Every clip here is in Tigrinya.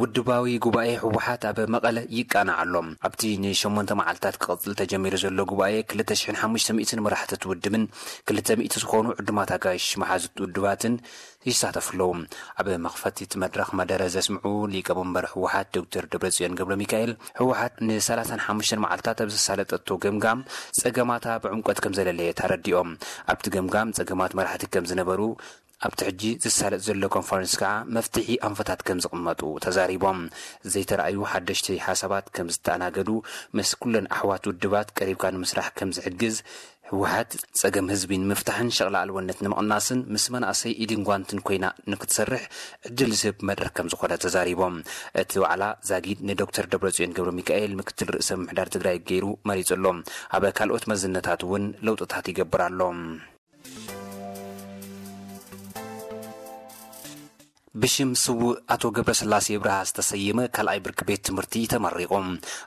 ውድባዊ ጉባኤ ህወሓት ኣብ መቐለ ይቃናዕ ኣሎ። ኣብቲ ንሸሞንተ መዓልታት ክቕጽል ተጀሚሩ ዘሎ ጉባኤ ክልተ ሽሕን ሓሙሽተ ሚእትን መራሕቲ እቲ ውድብን ክልተ ሚእቲ ዝኾኑ ዕዱማት ኣጋይሽ መሓዙት ውድባትን ይሳተፉ ኣለዉ። ኣብ መኽፈቲ እቲ መድረኽ መደረ ዘስምዑ ሊቀመንበር ህወሓት ዶክተር ደብረጽዮን ገብረ ሚካኤል፣ ህወሓት ንሰላሳን ሓሙሽተን መዓልታት ኣብ ዘሳለጠቶ ገምጋም ጸገማታ ብዕምቆት ከም ዘለለየት ኣረዲኦም። ኣብቲ ገምጋም ጸገማት መራሕቲ ከም ዝነበሩ፣ ኣብቲ ሕጂ ዝሳለጥ ዘሎ ኮንፈረንስ ከኣ መፍትሒ ኣንፈታት ከም ዝቕመጡ ተዛሪቦም። ዘይተረኣዩ ሓደሽቲ ሓሳባት ከም ዝተኣናገዱ፣ ምስ ኩለን ኣሕዋት ውድባት ቀሪብካ ንምስራሕ ከም ዝሕግዝ፣ ህወሓት ጸገም ህዝቢ ንምፍታሕን ሸቕላ ኣልቦነት ንምቕናስን ምስ መናእሰይ ኢድን ጓንትን ኮይና ንክትሰርሕ ዕድል ዝህብ መድረኽ ከም ዝኾነ ተዛሪቦም። እቲ ዋዕላ ዛጊድ ንዶክተር ደብረጽዮን ገብረ ሚካኤል ምክትል ርእሰ ምምሕዳር ትግራይ ገይሩ መሪጹ ኣሎ። ኣብ ካልኦት መዝነታት እውን ለውጥታት ይገብር ኣሎ። ብሽም ስዉእ ኣቶ ገብረስላሴ ኣብርሃ ዝተሰየመ ካልኣይ ብርኪ ቤት ትምህርቲ ተመሪቑ።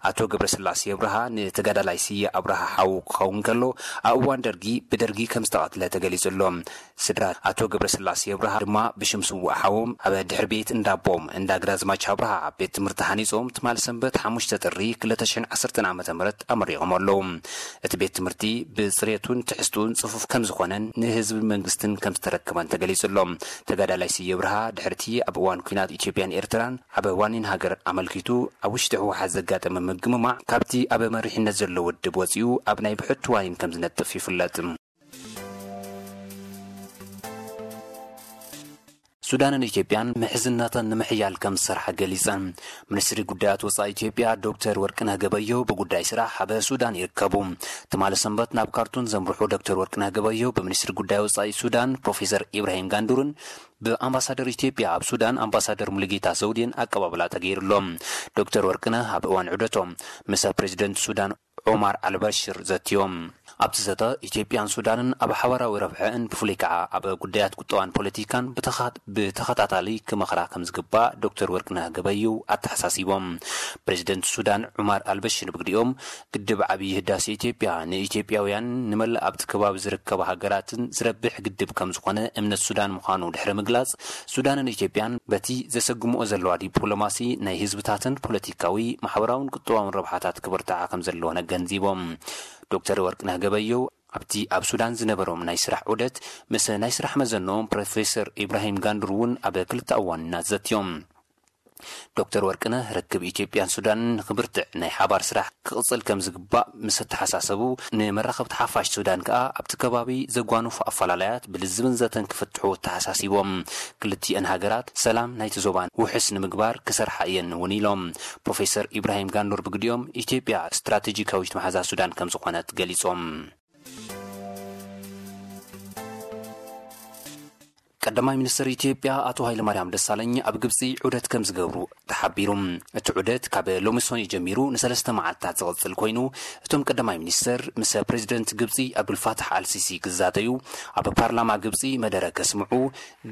ኣቶ ገብረስላሴ ኣብርሃ ንተጋዳላይ ስየ ኣብርሃ ሓው ክኸውን ከሎ፣ ኣብ እዋን ደርጊ ብደርጊ ከም ዝተቐትለ ተገሊጹ ኣሎ። ስድራ ኣቶ ገብረስላሴ ኣብርሃ ድማ ብሽም ስዉእ ሓዎም ኣብ ድሕሪ ቤት እንዳቦም እንዳ ግራዝማች ኣብርሃ ቤት ትምህርቲ ሃኒጾም ትማል ሰንበት ሓሙሽተ ጥሪ ክልተ ሽሕን ዓሰርተን ዓመተ ምህረት ኣመሪቖም ኣለዉ። እቲ ቤት ትምህርቲ ብጽሬቱን ትሕዝቱን ጽፉፍ ከም ዝኾነን ንህዝብን መንግስትን ከም ዝተረከበን ተገሊጹ ኣሎ። ተጋዳላይ ስየ ኣብርሃ ድሕርቲ ኣብ እዋን ኲናት ኢትዮጵያን ኤርትራን ኣብ ዋኒን ሃገር ኣመልኪቱ ኣብ ውሽጢ ህወሓት ዘጋጠመ ምግምማዕ ካብቲ ኣብ መሪሕነት ዘሎ ውድብ ወጺኡ ኣብ ናይ ብሕቲ ዋኒን ከም ዝነጥፍ ይፍለጥ። ሱዳንን ኢትዮጵያን ምሕዝነተን ንምሕያል ከም ዝሰርሓ ገሊጸን። ሚኒስትሪ ጉዳያት ወጻኢ ኢትዮጵያ ዶክተር ወርቅነህ ገበየሁ ብጉዳይ ስራሕ ኣብ ሱዳን ይርከቡ። ትማሊ ሰንበት ናብ ካርቱም ዘምርሑ ዶክተር ወርቅነህ ገበየሁ ብሚኒስትሪ ጉዳይ ወጻኢ ሱዳን ፕሮፌሰር ኢብራሂም ጋንዱርን ብኣምባሳደር ኢትዮጵያ ኣብ ሱዳን ኣምባሳደር ሙሉጌታ ዘውዴን ኣቀባብላ ተገይሩሎም። ዶክተር ወርቅነህ ኣብ እዋን ዑደቶም ምስ ፕሬዚደንት ሱዳን ዑማር ኣልበሽር ዘትዮም። ኣብቲ ዘተ ኢትዮጵያን ሱዳንን ኣብ ሓባራዊ ረብሐአን ብፍሉይ ከዓ ኣብ ጉዳያት ቁጠባን ፖለቲካን ብተኻ- ብተኸታታሊ ክመኽራ ከም ዝግባእ ዶክተር ወርቅነህ ገበየሁ ኣተሓሳሲቦም። ፕሬዚደንት ሱዳን ዑማር ኣልበሽር ብግዲኦም ግድብ ዓብዪ ህዳሴ ኢትዮጵያ ንኢትዮጵያውያን ንመላእ ኣብቲ ከባቢ ዝርከባ ሃገራትን ዝረብሕ ግድብ ከም ዝኾነ እምነት ሱዳን ምዃኑ ድሕሪ ምግላጽ፣ ሱዳንን ኢትዮጵያን በቲ ዘሰግምኦ ዘለዋ ዲፕሎማሲ ናይ ህዝብታትን ፖለቲካዊ፣ ማሕበራውን ቁጠባውን ረብሓታት ክብርትዓ ከም ዘለወን ኣገንዚቦም። ዶክተር ወርቅነህ ገበየሁ ኣብቲ ኣብ ሱዳን ዝነበሮም ናይ ስራሕ ዑደት ምስ ናይ ስራሕ መዘንኦም ፕሮፌሰር ኢብራሂም ጋንዱር እውን ኣብ ክልተ እዋንና ዘትዮም። ዶክተር ወርቅነህ ርክብ ኢትዮጵያን ሱዳንን ንክብርትዕ ናይ ሓባር ስራሕ ክቕጽል ከም ዝግባእ ምስ ኣተሓሳሰቡ፣ ንመራኸብቲ ሓፋሽ ሱዳን ከኣ ኣብቲ ከባቢ ዘጓንፉ ኣፈላላያት ብልዝብን ዘተን ክፍትሑ ኣተሓሳሲቦም። ክልቲአን ሃገራት ሰላም ናይቲ ዞባን ውሕስ ንምግባር ክሰርሓ እየን እውን ኢሎም። ፕሮፌሰር ኢብራሂም ጋንዱር ብግዲኦም ኢትዮጵያ ስትራቴጂካዊት መሓዛ ሱዳን ከም ዝኾነት ገሊጾም። ቀዳማይ ሚኒስትር ኢትዮጵያ ኣቶ ሃይለማርያም ደሳለኝ ኣብ ግብጺ ዑደት ከም ዝገብሩ ተሓቢሩ። እቲ ዑደት ካብ ሎሚ ሰኑይ ጀሚሩ ንሰለስተ መዓልታት ዝቕጽል ኮይኑ፣ እቶም ቀዳማይ ሚኒስትር ምስ ፕሬዚደንት ግብጺ ኣብዱልፋታሕ ኣልሲሲ ክዛተዩ፣ ኣብ ፓርላማ ግብጺ መደረ ከስምዑ፣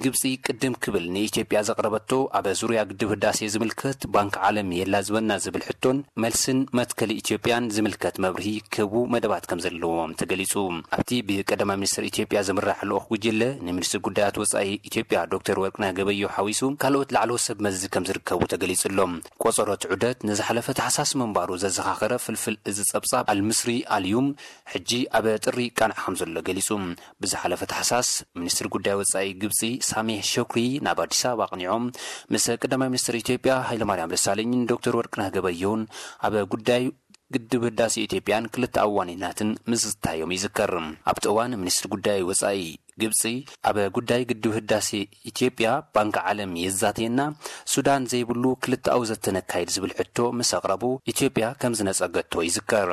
ግብጺ ቅድም ክብል ንኢትዮጵያ ዘቕረበቶ ኣብ ዙርያ ግድብ ህዳሴ ዝምልከት ባንክ ዓለም የላዝበና ዝብል ሕቶን መልስን መትከል ኢትዮጵያን ዝምልከት መብርሂ ክህቡ መደባት ከም ዘለዎም ተገሊጹ። ኣብቲ ብቀዳማይ ሚኒስትር ኢትዮጵያ ዝምራሕ ልኡኽ ጉጅለ ንሚኒስትር ጉዳያት ወጻኢ ኢትዮጵያ ዶክተር ወርቅነህ ገበየሁ ሓዊሱ ካልኦት ላዕለዎት ሰብ መዚ ከም ዝርከቡ ተገሊጹ ኣሎ። ቆጸሮ እቲ ዑደት ንዝሓለፈ ታሕሳስ ምንባሩ ዘዘኻኸረ ፍልፍል እዚ ጸብጻብ ኣልምስሪ ኣልዩም ሕጂ ኣብ ጥሪ ይቃናዕ ከም ዘሎ ገሊጹ። ብዝሓለፈ ታሕሳስ ሚኒስትር ጉዳይ ወጻኢ ግብጺ ሳሜህ ሾክሪ ናብ ኣዲስ ኣበባ ኣቕኒዖም ምስ ቀዳማይ ሚኒስትር ኢትዮጵያ ሃይለማርያም ደሳለኝን ዶክተር ወርቅነህ ገበየሁን ኣብ ጉዳይ ግድብ ህዳሴ ኢትዮጵያን ክልተ ኣዋኒናትን ምዝታዮም ይዝከር። ኣብቲ እዋን ሚኒስትር ጉዳይ ወጻኢ ግብጺ ኣብ ጉዳይ ግድብ ህዳሴ ኢትዮጵያ ባንክ ዓለም የዛተየና፣ ሱዳን ዘይብሉ ክልተኣዊ ዘተ ነካይድ ዝብል ሕቶ ምስ ኣቕረቡ ኢትዮጵያ ከም ዝነጸገቶ ይዝከር።